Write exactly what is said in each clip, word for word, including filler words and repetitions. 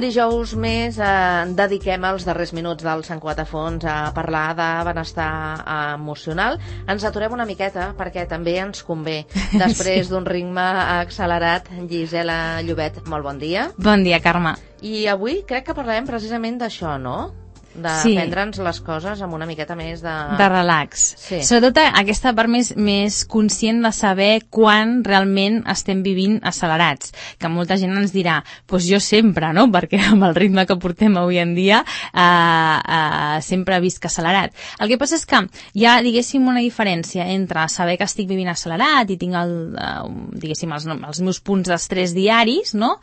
dijous més eh, dediquem els darrers minuts del Sant Cugat a Fons a parlar de benestar emocional. Ens aturem una miqueta perquè també ens convé. Després sí. d'un ritme accelerat, Gisela Llobet, molt bon dia. Bon dia, Carme. I avui crec que parlarem precisament d'això, no? De sí. prendre'ns les coses amb una miqueta més de... De relax. Sí. Sobretot aquesta part més, més conscient de saber quan realment estem vivint accelerats. Que molta gent ens dirà, doncs jo sempre, no? Perquè amb el ritme que portem avui en dia eh, eh, sempre visc accelerat. El que passa és que hi ha, diguéssim, una diferència entre saber que estic vivint accelerat i tinc el, eh, diguéssim, els, els meus punts d'estrès diaris, no?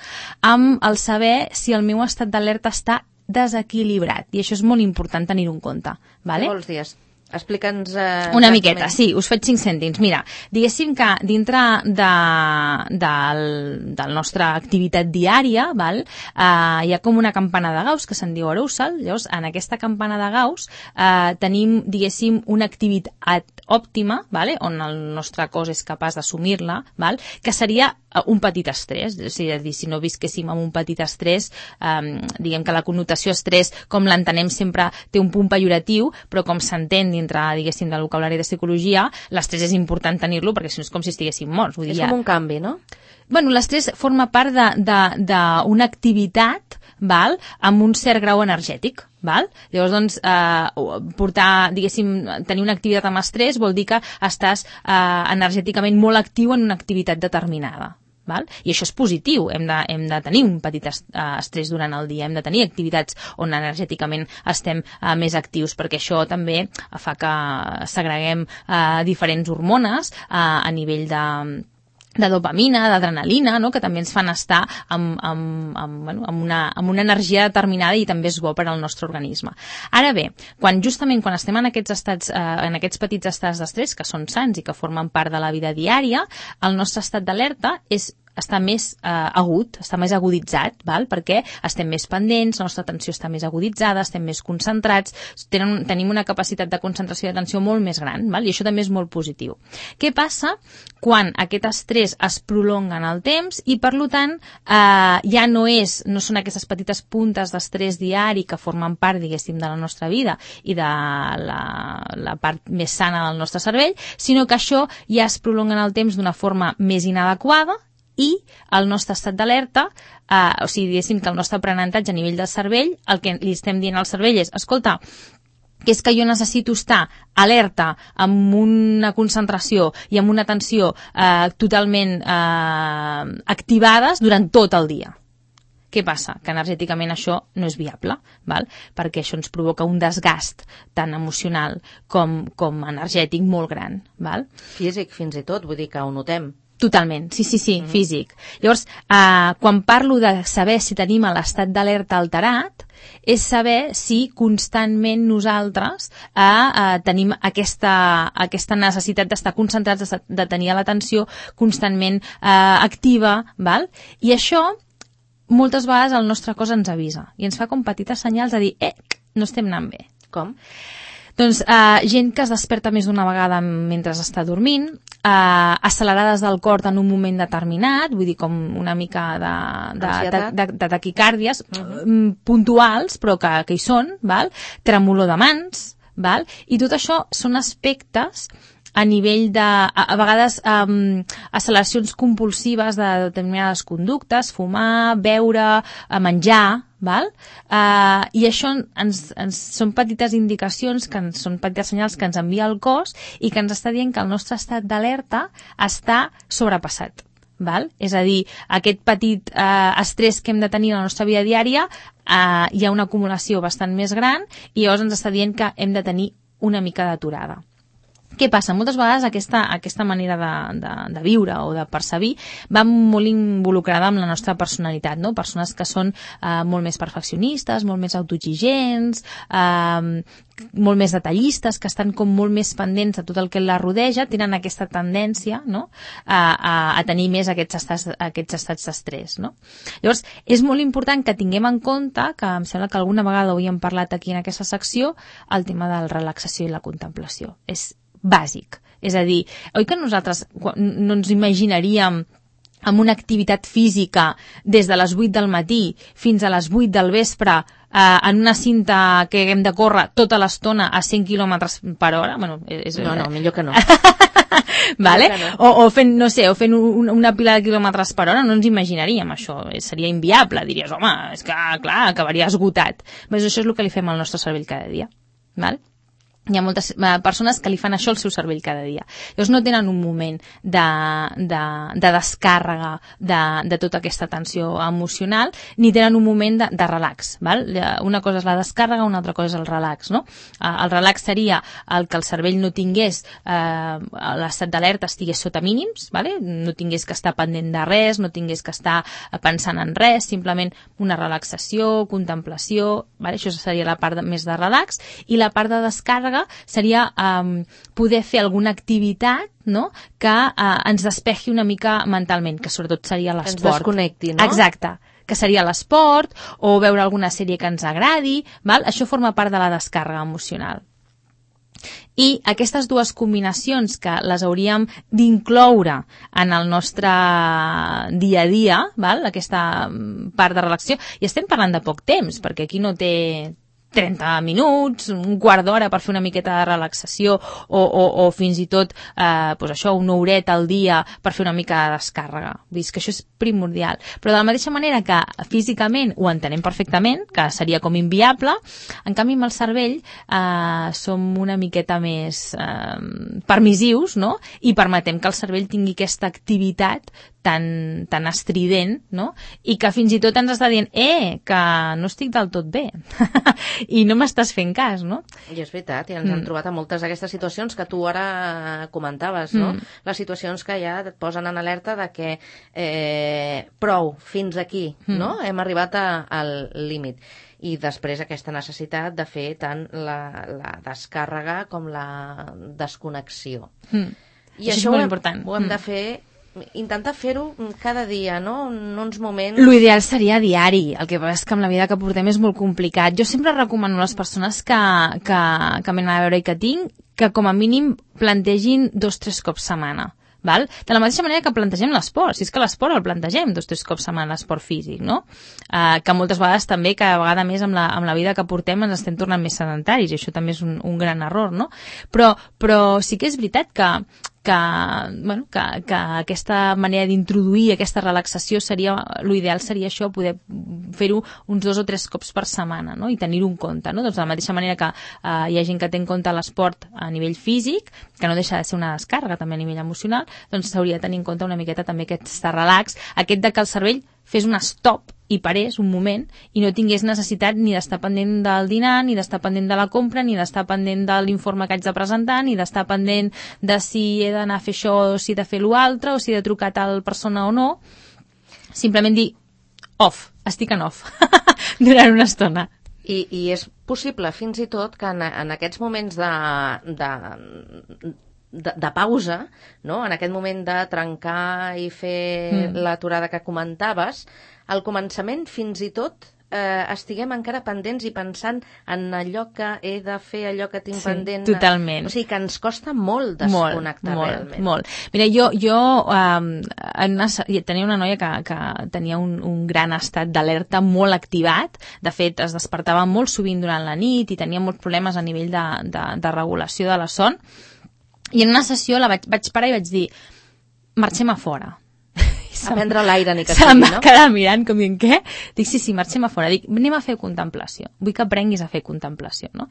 Amb el saber si el meu estat d'alerta està desequilibrat, i això és molt important tenir-ho en compte. Vale? Què vols dir? Explica'ns... Eh, una miqueta, sí, us faig cinc cèntims. Mira, diguéssim que dintre de, del, del nostra activitat diària, val, eh, hi ha com una campana de Gauss, que se'n diu arousal. Llavors, en aquesta campana de Gauss eh, tenim, diguéssim, una activitat òptima, vale, on el nostre cos és capaç d'assumir-la, val, que seria un petit estrès. És a dir, si no visquéssim amb un petit estrès, eh, diguem que la connotació estrès, com l'entenem sempre, té un punt pejoratiu, però com s'entén dintre, diguéssim, del vocabulari de psicologia, l'estrès és important tenir-lo perquè si no és com si estiguéssim morts. Vull dir, és com un canvi, no? Bueno, l'estrès forma part d'una activitat, val, amb un cert grau energètic. Val? Llavors, doncs, eh, portar, diguéssim, tenir una activitat amb estrès vol dir que estàs eh, energèticament molt actiu en una activitat determinada. Val? I això és positiu, hem de, hem de tenir un petit estrès durant el dia, hem de tenir activitats on energèticament estem uh, més actius, perquè això també fa que segreguem uh, diferents hormones uh, a nivell de de dopamina, d'adrenalina, no? Que també ens fan estar amb, amb, amb, bueno, amb, una, amb una energia determinada i també és bo per al nostre organisme. Ara bé, quan justament quan estem en aquests estats, eh, en aquests petits estats d'estrès que són sants i que formen part de la vida diària, el nostre estat d'alerta és està més eh, agut, està més aguditzat, val? Perquè estem més pendents, la nostra atenció està més aguditzada, estem més concentrats, tenen, tenim una capacitat de concentració i d'atenció molt més gran, val? I això també és molt positiu. Què passa quan aquest estrès es prolonga en el temps i, per tant, eh, ja no, és, no són aquestes petites puntes d'estrès diari que formen part, diguéssim, de la nostra vida i de la, la part més sana del nostre cervell, sinó que això ja es prolonga en el temps d'una forma més inadequada i el nostre estat d'alerta, eh, o sigui, diguéssim que el nostre aprenentatge a nivell del cervell, el que li estem dient al cervell és, escolta, que és que jo necessito estar alerta amb una concentració i amb una atenció eh, totalment eh, activades durant tot el dia. Què passa? Que energèticament això no és viable, val? Perquè això ens provoca un desgast tant emocional com, com energètic molt gran. Val? Físic fins i tot, vull dir que ho notem. Totalment, sí, sí, sí, mm-hmm. físic. Llavors, eh, quan parlo de saber si tenim l'estat d'alerta alterat, és saber si constantment nosaltres eh, eh, tenim aquesta, aquesta necessitat d'estar concentrats, de, de tenir l'atenció constantment eh, activa, val? I això moltes vegades el nostre cos ens avisa i ens fa com petites senyals de dir, eh, no estem anant bé. Com? Doncs eh, gent que es desperta més d'una vegada mentre està dormint, eh, accelerades del cor en un moment determinat, vull dir com una mica de, de, de, de, de taquicàrdies uh-huh. puntuals, però que, que hi són, val? Tremolor de mans, val? I tot això són aspectes a nivell de, a, a vegades, um, acceleracions compulsives de determinades conductes, fumar, beure, menjar, val? Uh, I això ens, ens, són petites indicacions, que ens, són petites senyals que ens envia el cos i que ens està dient que el nostre estat d'alerta està sobrepassat. Val? És a dir, aquest petit eh, estrès que hem de tenir a la nostra vida diària, eh, hi ha una acumulació bastant més gran i llavors ens està dient que hem de tenir una mica d'aturada. Què passa? Moltes vegades aquesta, aquesta manera de, de, de viure o de percebir va molt involucrada amb la nostra personalitat, no? Persones que són eh, molt més perfeccionistes, molt més autoexigents, eh, molt més detallistes, que estan com molt més pendents de tot el que la rodeja, tenen aquesta tendència, no? a, a, a tenir més aquests estats, aquests estats d'estrès. No? Llavors, és molt important que tinguem en compte, que em sembla que alguna vegada ho havíem parlat aquí en aquesta secció, el tema de la relaxació i la contemplació. És bàsic. És a dir, oi que nosaltres no ens imaginaríem amb una activitat física des de les vuit del matí fins a les vuit del vespre, eh, en una cinta que hem de córrer tota l'estona a cent quilòmetres per hora, bueno, és... No, no, millor que no. Vale? O, o fent, no sé, o fent un, una pila de quilòmetres per hora, no ens imaginaríem això, seria inviable, diries, home, és que, clar, acabaria esgotat. Però això és el que li fem al nostre cervell cada dia, val? Hi ha moltes eh, persones que li fan això al seu cervell cada dia. Llavors no tenen un moment de, de, de descàrrega de, de tota aquesta tensió emocional, ni tenen un moment de, de relax. Val? Una cosa és la descàrrega, una altra cosa és el relax. No? El relax seria el que el cervell no tingués, eh, l'estat d'alerta estigués sota mínims, vale? No tingués que estar pendent de res, no tingués que estar pensant en res, simplement una relaxació, contemplació, vale? Això seria la part de, més de relax, i la part de descàrrega seria um, poder fer alguna activitat, no?, que uh, ens despeji una mica mentalment, que sobretot seria l'esport. Ens desconnecti, no? Exacte, que seria l'esport o veure alguna sèrie que ens agradi, val? Això forma part de la descàrrega emocional. I aquestes dues combinacions que les hauríem d'incloure en el nostre dia a dia, val? Aquesta part de relaxació, i estem parlant de poc temps, perquè aquí no té trenta minuts, un quart d'hora per fer una miqueta de relaxació o, o, o fins i tot eh, pues això, una horeta al dia per fer una mica de descàrrega. Vull dir que això és primordial. Però de la mateixa manera que físicament ho entenem perfectament, que seria com inviable, en canvi amb el cervell eh, som una miqueta més eh, permissius, no? I permetem que el cervell tingui aquesta activitat tan, tan estrident, no? I que fins i tot ens està dient eh, que no estic del tot bé i no m'estàs fent cas, no? I és veritat, i ens mm. hem trobat a moltes d'aquestes situacions que tu ara comentaves, no? Mm. Les situacions que ja et posen en alerta de que eh, prou, fins aquí, mm. no? Hem arribat a, al límit. I després aquesta necessitat de fer tant la, la descàrrega com la desconnexió. Mm. I això, això és molt important. Ho hem mm. de fer, intentar fer-ho cada dia, no? En uns moments... L'ideal seria diari, el que passa és que amb la vida que portem és molt complicat. Jo sempre recomano a les persones que, que, que m'han a veure i que tinc que com a mínim plantegin dos o tres cops setmana. Val? De la mateixa manera que plantegem l'esport, si és que l'esport el plantegem dos o tres cops setmana, l'esport físic, no? Uh, que moltes vegades també, cada vegada més amb la, amb la vida que portem ens estem tornant més sedentaris, i això també és un, un gran error, no? Però, però sí que és veritat que que, bueno, que, que aquesta manera d'introduir aquesta relaxació seria, l'ideal seria això, poder fer-ho uns dos o tres cops per setmana, no? I tenir-ho en compte, no? Doncs de la mateixa manera que eh, hi ha gent que té en compte l'esport a nivell físic, que no deixa de ser una descàrrega també a nivell emocional, doncs s'hauria de tenir en compte una miqueta també aquest relax, aquest de que el cervell fes un stop i parés un moment i no tingués necessitat ni d'estar pendent del dinar, ni d'estar pendent de la compra, ni d'estar pendent de l'informe que haig de presentar, ni d'estar pendent de si he d'anar a fer això o si he de fer l'altre, o si he de trucar a tal persona o no. Simplement dir off, estic en off durant una estona. I, i és possible fins i tot que en, en aquests moments de, de, de, de pausa, no? En aquest moment de trencar i fer mm. l'aturada que comentaves, al començament fins i tot eh, estiguem encara pendents i pensant en allò que he de fer, allò que tinc sí, pendent. Totalment. O sigui que ens costa molt desconnectar molt, realment. Molt, molt. Mira, jo, jo um, una, tenia una noia que, que tenia un, un gran estat d'alerta molt activat. De fet, es despertava molt sovint durant la nit i tenia molts problemes a nivell de, de, de regulació de la son. I en una sessió la vaig, vaig parar i vaig dir marxem a fora. A prendre l'aire ni que sigui, sigui, no? Se'm va quedar mirant com dient, què? Dic, sí, sí, marxem a fora. Dic, anem a fer contemplació. Vull que aprenguis a fer contemplació, no?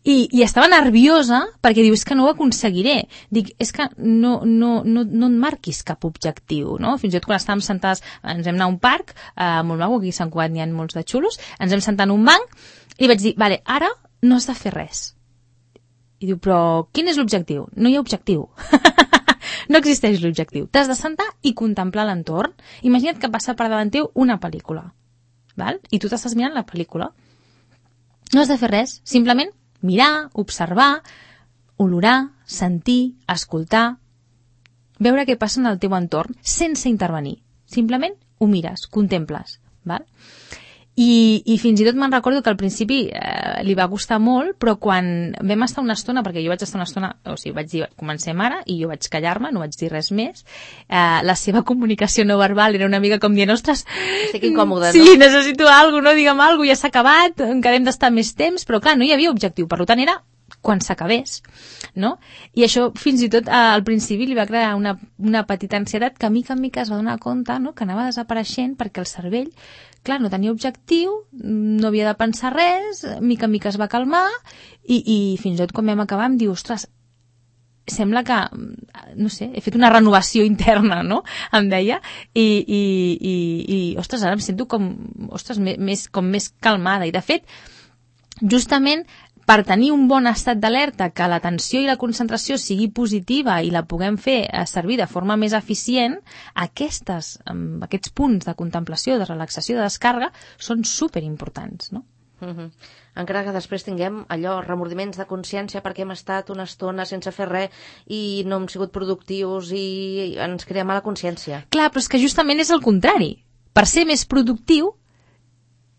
I, i estava nerviosa perquè diu, és que no ho aconseguiré. Dic, és que no, no, no, no et marquis cap objectiu, no? Fins i tot quan estàvem sentades, ens hem anat a un parc, eh, molt maco, aquí a Sant Cugat n'hi ha molts de xulos, ens hem sentat en un banc i li vaig dir, vale, ara no has de fer res. I diu, però quin és l'objectiu? No hi ha objectiu. No existeix l'objectiu. T'has de sentar i contemplar l'entorn. Imagina't que passa per davant teu una pel·lícula. Val? I tu t'estàs mirant la pel·lícula. No has de fer res. Simplement mirar, observar, olorar, sentir, escoltar, veure què passa en el teu entorn sense intervenir. Simplement ho mires, contemples. Val? I, i fins i tot me'n recordo que al principi eh, li va gustar molt, però quan vam estar una estona, perquè jo vaig estar una estona, o sigui, vaig dir, comencem ara, i jo vaig callar-me, no vaig dir res més, eh, la seva comunicació no verbal era una mica com dient, ostres, estic incòmode, sí, no? necessito alguna cosa, no, digue'm alguna cosa, ja s'ha acabat, encara hem d'estar més temps, però clar, no hi havia objectiu, per tant era quan s'acabés, no? I això fins i tot al principi li va crear una, una petita ansietat que a mica en mica es va donar compte, no?, que anava desapareixent perquè el cervell, clar, no tenia objectiu, no havia de pensar res, mica en mica es va calmar i, i fins i tot quan vam acabar em diu, ostres, sembla que, no sé, he fet una renovació interna, no?, em deia, i, i, i, i ostres, ara em sento com, ostres, més, com més calmada. I de fet, justament per tenir un bon estat d'alerta, que l'atenció i la concentració sigui positiva i la puguem fer servir de forma més eficient, aquestes, aquests punts de contemplació, de relaxació, de descàrrega, són superimportants, no? Uh-huh. Encara que després tinguem allò, remordiments de consciència perquè hem estat una estona sense fer res i no hem sigut productius i ens crea mala consciència. Clar, però és que justament és el contrari. Per ser més productiu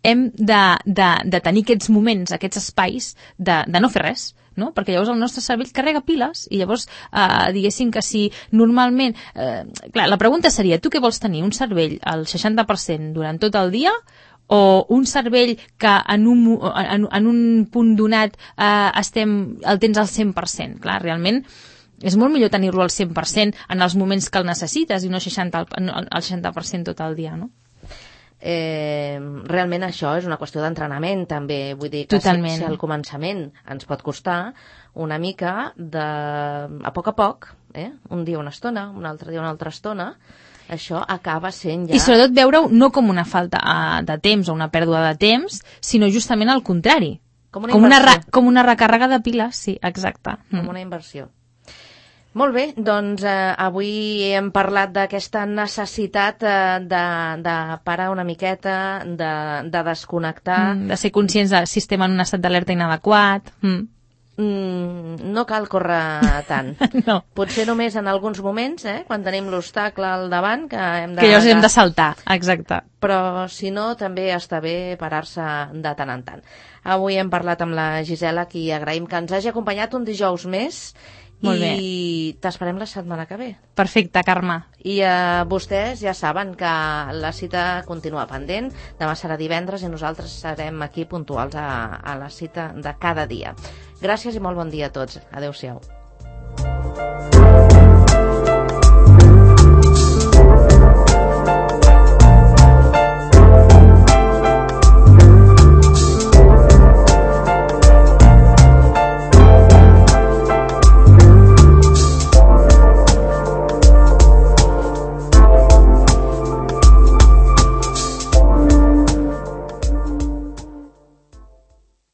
hem de, de, de tenir aquests moments, aquests espais de, de no fer res, no? Perquè llavors el nostre cervell carrega piles i llavors eh, diguéssim que si normalment... Eh, clar, la pregunta seria, tu què vols tenir? Un cervell al seixanta per cent durant tot el dia o un cervell que en un, en, en un punt donat eh, estem, el tens al cent per cent? Clar, realment és molt millor tenir-lo al cent per cent en els moments que el necessites i no seixanta, al seixanta per cent tot el dia, no? Eh, realment això és una qüestió d'entrenament també, vull dir que si, si al començament ens pot costar una mica de, a poc a poc, eh? Un dia una estona, un altre dia una altra estona, això acaba sent ja... I sobretot veure-ho no com una falta de temps o una pèrdua de temps, sinó justament al contrari, com una, com una, re, com una recàrrega de piles, sí, exacte. Com una inversió. Molt bé, doncs eh, avui hem parlat d'aquesta necessitat eh, de, de parar una miqueta, de, de desconnectar. Mm, de ser conscients del sistema en un estat d'alerta inadequat. Mm. Mm, no cal córrer tant. No. Potser només en alguns moments, eh, quan tenim l'obstacle al davant, que hem de... Que llavors hem de saltar, exacte. Però si no, també està bé parar-se de tant en tant. Avui hem parlat amb la Gisela, qui agraïm que ens hagi acompanyat un dijous més. Molt bé. I t'esperem la setmana que ve. Perfecte, Carme. I eh, vostès ja saben que la cita continua pendent. Demà serà divendres i nosaltres serem aquí puntuals a, a la cita de cada dia. Gràcies i molt bon dia a tots. Adéu-siau.